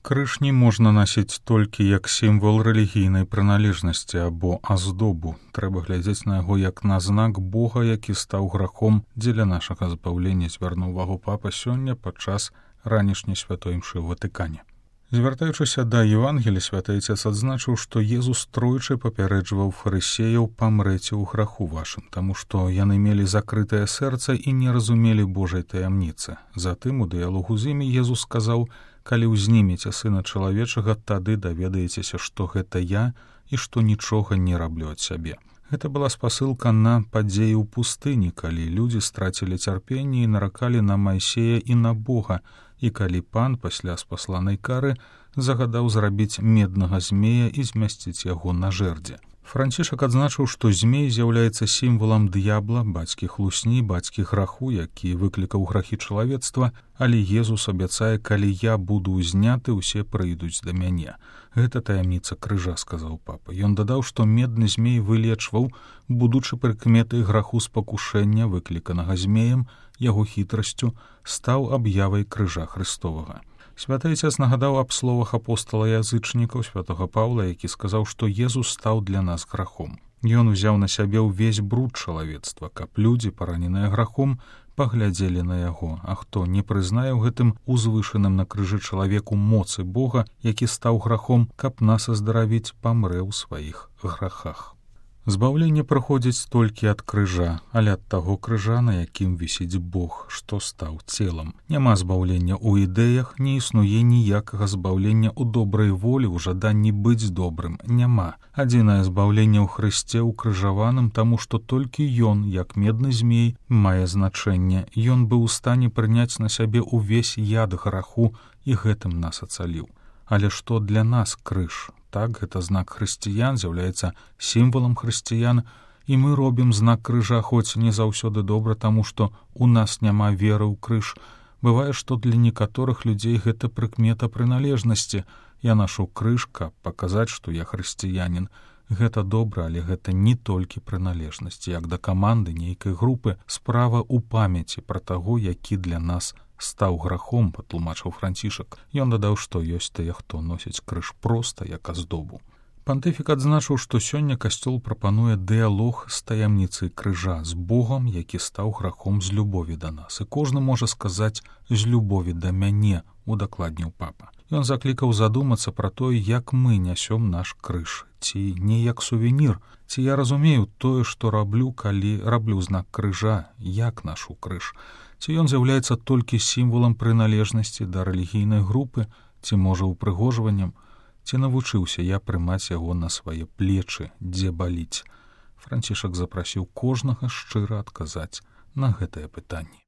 Крыж не можна насіць толькі як сімвал рэлігійнай прыналежнасці або аздобу. Трэба глядзець на яго як на знак Бога, які стаў грахом дзеля нашага збаўлення, звярнуў увагу папа сёння падчас ранішняй святой імшы ў Ватыкане. Звяртаючыся да Евангелія, святы Отец адзначыў, што Езус тройчы папярэджваў фарысеяў: памрэце ў граху вашым, таму што яны мелі закрытае сэрца і не разумелі Божай таямніцы. Затым у дыялогу з імі Езус сказаў: калі ўзнімеце Сына Чалавечага, тады даведаецеся, што гэта я і што нічога не раблю ад сябе. Гэта была спасылка на падзеі ў пустыні, калі людзі страцілі цярпенне і наракалі на Майсея і на Бога, і калі пан пасля спасланай кары загадаў зрабіць меднага змея і змясціць яго на жэрдзе. Францішак адзначыў, што змей з'яўляецца сімвалам д'ябла, бацькі хлусні, бацькі граху, які выклікаў грахі чалавецтва, але Езус абяцае: калі я буду ўзняты, усе прыйдуць да мяне. Гэта таямніца крыжа, сказаў папа. Ён дадаў, што медны змей вылечваў, будучы прыкметай граху спакушэння, выкліканага змеем, яго хітрасцю, стаў аб'явай крыжа Христовага. Святы Отец нагадаў аб словах апостала-язычнікаў святога Паўла, які сказаў, што Езус стаў для нас грахом. Ён узяў на сябе ўвесь бруд чалавецтва, каб людзі, параненыя грахом, паглядзелі на яго. А хто не прызнае ў гэтым узвышаным на крыжы чалавеку моцы Бога, які стаў грахом, каб нас аздаравіць, памрэ ў сваіх грахах. Збаўленне прыходзіць толькі ад крыжа, але ад таго крыжа, на якім вісіць Бог, што стаў целам. Няма збаўлення ў ідэях, не існуе ніякага збаўлення ў добрай волі, у жаданні быць добрым. Няма. Адзінае збаўленне ў Хрысце укрыжаваным, таму што толькі Ён, як медны змей, мае значэнне. Ён быў у стане прыняць на сябе ўвесь яд граху і гэтым нас ацаліў. Але што для нас крыж? Так, гэта знак хрысціян, з'яўляецца сімвалам хрысціян, і мы робім знак крыжа, хоць не заўсёды добра, таму што у нас няма веры ў крыж. Бывае, што для некаторых людзей гэта прыкмета прыналежнасці. Я нашу крыж, каб паказаць, што я хрысціянін. Гэта добра, але гэта не толькі прыналежнасць. Як да каманды нейкай групы, справа ў памяці пра таго, які для нас стаў грахом, патлумачыў Францішак. Ён дадаў, што ёсць тыя, хто носіць крыж проста як аздобу. Пантыфік адзначыў, што сёння касцёл прапануе дыялог з таямніцай крыжа, з Богам, які стаў грахом з любові да нас. І кожны можа сказаць: з любові да мяне, удакладніў папа. Ён заклікаў задумацца пра тое, як мы нясём наш крыж, ці не як сувенір, ці я разумею тое, што раблю, калі раблю знак крыжа, як нашу крыж. Ці ён з'яўляецца толькі сімвалам прыналежнасці да рэлігійнай групы, ці можа упрыгожваннем, ці навучыўся я прымаць яго на свае плечы, дзе баліць. Францішак запрасіў кожнага шчыра адказаць на гэтае пытанне.